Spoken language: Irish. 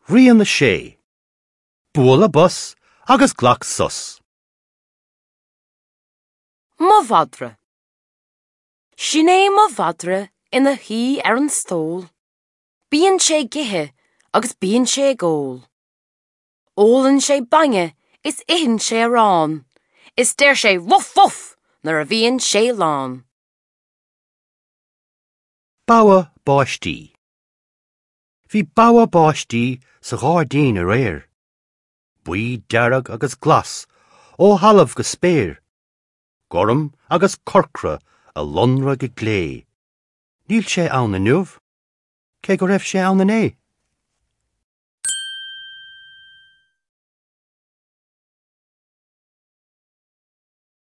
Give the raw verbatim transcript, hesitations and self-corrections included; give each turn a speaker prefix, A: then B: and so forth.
A: Rian a sé. Bualadh bos agus glac sos.
B: Mo mhadra. Sin é mo mhadra ina shuí ar an stól. Bíonn sé ag ithe agus bíonn sé ag ól. Ólann sé bainne is itheann sé arán, is deir sé woof woof nuair a bhíonn sé lán.
A: Bogha báistí. Bhí bogha báistí sa ghairdín aréir. Buí dearg agus glas, ó thalamh go spéir. Gorm agus corcra a lonradh go glé. Níl sé ann inniu, cé go raibh sé ann inné.